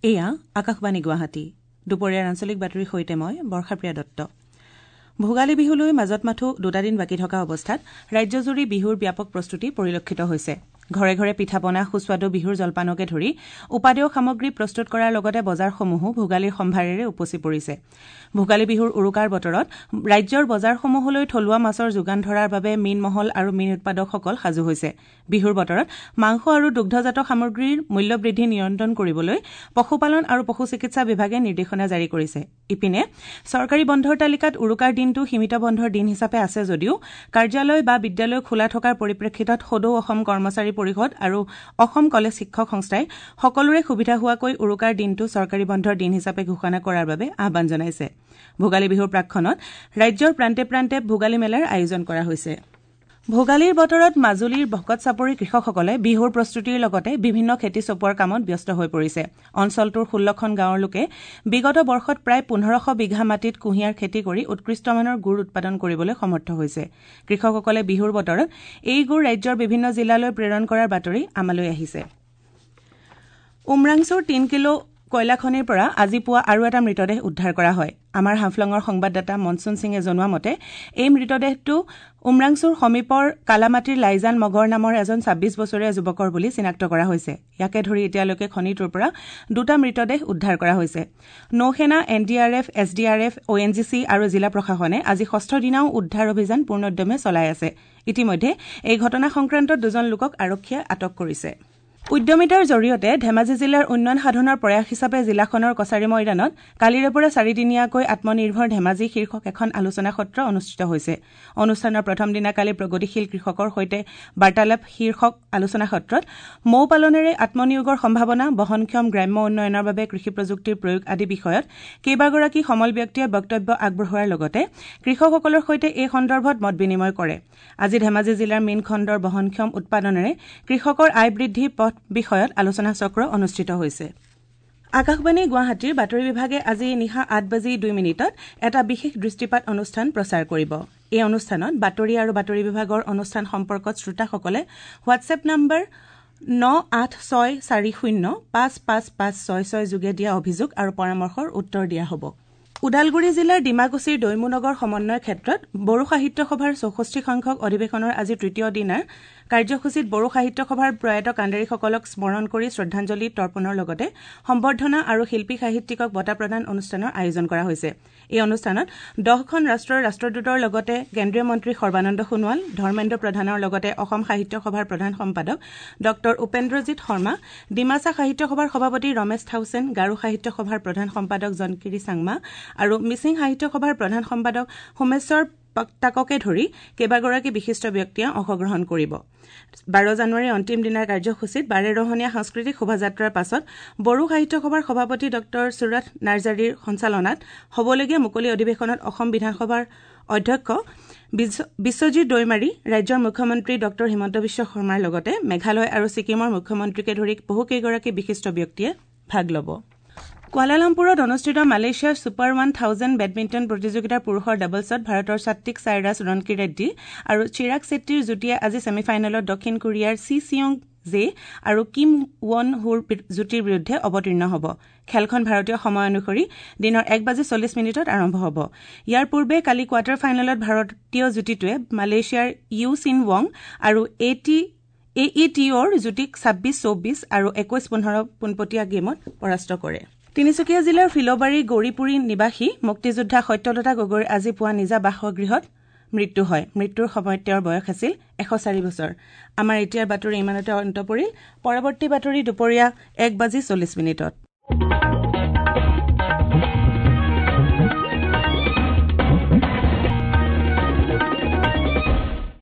এয়া আকাশবাণী গুৱাহাটী। দুপৰীয়াৰ আঞ্চলিক বাতৰিৰ সৈতে মই বৰ্ষাপ্ৰিয়া দত্ত। ভোগালী বিহুলৈ মাজত মাথো দুটা দিন বাকী থকা অৱস্থাত ৰাজ্যজুৰি বিহুৰ ব্যাপক প্ৰস্তুতি পৰিলক্ষিত হৈছে। ঘৰে ঘৰে পিঠা পনা, সুস্বাদু বিহুৰ জলপানকে ধৰি উপাদেয় সামগ্ৰী প্ৰস্তুত কৰাৰ লগতে বজাৰসমূহো ভোগালীৰ সম্ভাৰেৰে উপচি পৰিছে। ভোগালী বিহুৰ উৰুকাৰ বতৰত ৰাজ্যৰ বজাৰসমূহলৈ থলুৱা মাছৰ যোগান ধৰাৰ বাবে মীন মহল আৰু মীন উৎপাদকসকল সাজু হৈছে। বিহুৰ বতৰত মাংস আৰু দুগ্ধজাত সামগ্ৰীৰ মূল্যবৃদ্ধি নিয়ন্ত্ৰণ কৰিবলৈ পশুপালন আৰু পশু চিকিৎসা বিভাগে নিৰ্দেশনা জাৰি কৰিছে। ইপিনে চৰকাৰী বন্ধৰ তালিকাত উৰুকাৰ দিনটো সীমিত বন্ধৰ দিন হিচাপে আছে যদিও কাৰ্যালয় বা বিদ্যালয় খোলা থকাৰ পৰিপ্ৰেক্ষিতত সদৌ অসম কৰ্মচাৰী পৰিষদ আৰু অসম কলেজ শিক্ষক সংস্থাই সকলোৰে সুবিধা হোৱাকৈ উৰুকাৰ দিনটো চৰকাৰী বন্ধৰ দিন হিচাপে ঘোষণা কৰাৰ বাবে আহ্বান জনাইছে। ভোগালী বিহুৰ প্ৰাকক্ষণত ৰাজ্যৰ প্ৰান্তে প্ৰান্তে ভোগালী মেলাৰ আয়োজন কৰা হৈছে। ভোগালীৰ বতৰত মাজুলীৰ ভকত চাপৰিৰ কৃষকসকলে বিহুৰ প্ৰস্তুতিৰ লগতে বিভিন্ন খেতি চপোৱাৰ কামত ব্যস্ত হৈ পৰিছে। অঞ্চলটোৰ ১৬খন গাঁৱৰ লোকে বিগত বৰ্ষত প্ৰায় ১৫০০ বিঘা মাটিত কুঁহিয়াৰ খেতি কৰি উৎকৃষ্টমানৰ গুৰ উৎপাদন কৰিবলৈ সমৰ্থ হৈছে। কৃষকসকলে বিহুৰ বতৰত এই গুৰ ৰাজ্যৰ বিভিন্ন জিলালৈ প্ৰেৰণ কৰাৰ বাতৰি আমালৈ আহিছে। উমৰাংছুৰ ৩ কিলো কয়লা খনিৰ পৰা আজি পুৱা আৰু এটা মৃতদেহ উদ্ধাৰ কৰা হয়। আমাৰ হাফলঙৰ সংবাদদাতা মনচুন সিঙে জনোৱা মতে এই মৃতদেহটো উমৰাংছুৰ সমীপৰ কালামাটিৰ লাইজান মগৰ নামৰ এজন ২৬ বছৰীয়া যুৱকৰ বুলি চিনাক্ত কৰা হৈছে। ইয়াকে ধৰি এতিয়ালৈকে খনিটোৰ পৰা দুটা মৃতদেহ উদ্ধাৰ কৰা হৈছে। নৌসেনা, N D R F, S D R F, O N G C আৰু জিলা প্ৰশাসনে আজি ষষ্ঠ দিনাও উদ্ধাৰ অভিযান পূৰ্ণোদ্যমে চলাই আছে। ইতিমধ্যে এই ঘটনা সংক্ৰান্তত দুজন লোকক আৰক্ষীয়ে আটক কৰিছে। উদ্যমিতাৰ জৰিয়তে ধেমাজি জিলাৰ উন্নয়ন সাধনৰ প্ৰয়াস হিচাপে জিলাখনৰ কছাৰী ময়দানত কালিৰে পৰা চাৰিদিনীয়াকৈ আত্মনিৰ্ভৰ ধেমাজি শীৰ্ষক এখন আলোচনা সত্ৰ অনুষ্ঠিত হৈছে। অনুষ্ঠানৰ প্ৰথম দিনা কালি প্ৰগতিশীল কৃষকৰ সৈতে বাৰ্তালাপ শীৰ্ষক আলোচনা সত্ৰত মৌ পালনেৰে আত্মনিয়োগৰ সম্ভাৱনা, বহনক্ষম গ্ৰাম্য উন্নয়নৰ বাবে কৃষি প্ৰযুক্তিৰ প্ৰয়োগ আদি বিষয়ত কেইবাগৰাকী সমল ব্যক্তিয়ে বক্তব্য আগবঢ়োৱাৰ লগতে কৃষকসকলৰ সৈতে এই সন্দৰ্ভত মত বিনিময় কৰে। আজি ধেমাজি জিলাৰ মীন খণ্ডৰ বহনক্ষম উৎপাদনেৰে কৃষকৰ আয় বৃদ্ধিৰ পথ বিষয়ত আলোচনা চক্ৰ অনুষ্ঠিত হৈছে। আকাশবাণী গুৱাহাটীৰ বাতৰি বিভাগে আজি নিশা ৮:০২ এটা বিশেষ দৃষ্টিপাত অনুষ্ঠান প্ৰচাৰ কৰিব। এই অনুষ্ঠানত বাতৰি আৰু বাতৰি বিভাগৰ অনুষ্ঠান সম্পৰ্কত শ্ৰোতাসকলে হোৱাটছএপ নম্বৰ ৯৮৬৪০৫৫৫৬৬ যোগে দিয়া অভিযোগ আৰু পৰামৰ্শৰ উত্তৰ দিয়া হ'ব। ওদালগুৰি জিলাৰ ডিমাকুছিৰ দৈমুনগৰ সমন্বয় ক্ষেত্ৰত বড়ো সাহিত্য সভাৰ ৬৪ সংখ্যক অধিৱেশনৰ আজি তৃতীয় দিনাৰ কাৰ্যসূচীত বড়ো সাহিত্য সভাৰ প্ৰয়াত কাণ্ডাৰীসকলক স্মৰণ কৰি শ্ৰদ্ধাঞ্জলি তৰ্পণৰ লগতে সম্বৰ্ধনা আৰু শিল্পী সাহিত্যিকক বঁটা প্ৰদান অনুষ্ঠানৰ আয়োজন কৰা হৈছে। এই অনুষ্ঠানত ১০খন ৰাষ্ট্ৰৰ ৰাষ্ট্ৰদূতৰ লগতে কেন্দ্ৰীয় মন্ত্ৰী সৰ্বানন্দ সোণোৱাল, ধৰ্মেন্দ্ৰ প্ৰধানৰ লগতে অসম সাহিত্য সভাৰ প্ৰধান সম্পাদক ডঃ উপেন্দ্ৰজিৎ শৰ্মা, ডিমাছা সাহিত্য সভাৰ সভাপতি ৰমেশ থাউচেন, গাৰো সাহিত্য সভাৰ প্ৰধান সম্পাদক জনকিৰি চাংমা আৰু মিচিং সাহিত্য সভাৰ প্ৰধান সম্পাদক সোমেশ্বৰ পাক্তাককে ধৰি কেইবাগৰাকী বিশিষ্ট ব্যক্তিয়ে অংশগ্ৰহণ কৰিব। ১২ জানুৱাৰীৰ অন্তিম দিনাৰ কাৰ্যসূচীত বাৰেৰহণীয়া সাংস্কৃতিক শোভাযাত্ৰাৰ পাছত বড়ো সাহিত্য সভাৰ সভাপতি ডঃ সুৰথ নাৰ্জাৰীৰ সঞ্চালনাত হ'বলগীয়া মুকলি অধিৱেশনত অসম বিধানসভাৰ অধ্যক্ষ বিশ্বজিৎ দৈমাৰী, ৰাজ্যৰ মুখ্যমন্ত্ৰী ডঃ হিমন্ত বিশ্ব শৰ্মাৰ লগতে মেঘালয় আৰু ছিকিমৰ মুখ্যমন্ত্ৰীকে ধৰি বহুকেইগৰাকী বিশিষ্ট ব্যক্তিয়ে ভাগ ল'ব। কুৱালালামপুৰত অনুষ্ঠিত মালয়েছিয়াৰ ছুপাৰ ১০০০ বেডমিণ্টন প্ৰতিযোগিতাৰ পুৰুষৰ ডাবলছত ভাৰতৰ সাত্বিক সাইৰাজ ৰনকি ৰেড্ডী আৰু চিৰাগ চেট্টীৰ যুটীয়ে আজি ছেমিফাইনেলত দক্ষিণ কোৰিয়াৰ চি চিয়ং জে আৰু কিম ৱন হুৰ যুটীৰ বিৰুদ্ধে অৱতীৰ্ণ হ'ব। খেলখন ভাৰতীয় সময় অনুসৰি দিনৰ ১:৪০ আৰম্ভ হ'ব। ইয়াৰ পূৰ্বে কালি কোৱাৰ্টাৰ ফাইনেলত ভাৰতীয় যুটীটোৱে মালয়েছিয়াৰ ইউ চিন ৱং আৰু এ ই টি অ'ৰ যুটীক ২৬-২৪ আৰু ২১-১৫ পোনপটীয়া গেমত পৰাস্ত কৰে। তিনিচুকীয়া জিলাৰ ফিলবাৰী গৌৰীপুৰী নিবাসী মুক্তিযোদ্ধা সত্যলতা গগৈৰ আজি পুৱা নিজা বাসগৃহত মৃত্যু হয়। মৃত্যুৰ সময়ত তেওঁৰ বয়স আছিল ১০৪ বছৰ। আমাৰ এতিয়াৰ বাতৰি ইমানতে অন্ত পৰিল। পৰৱৰ্তী বাতৰি দুপৰীয়া ১:৪০।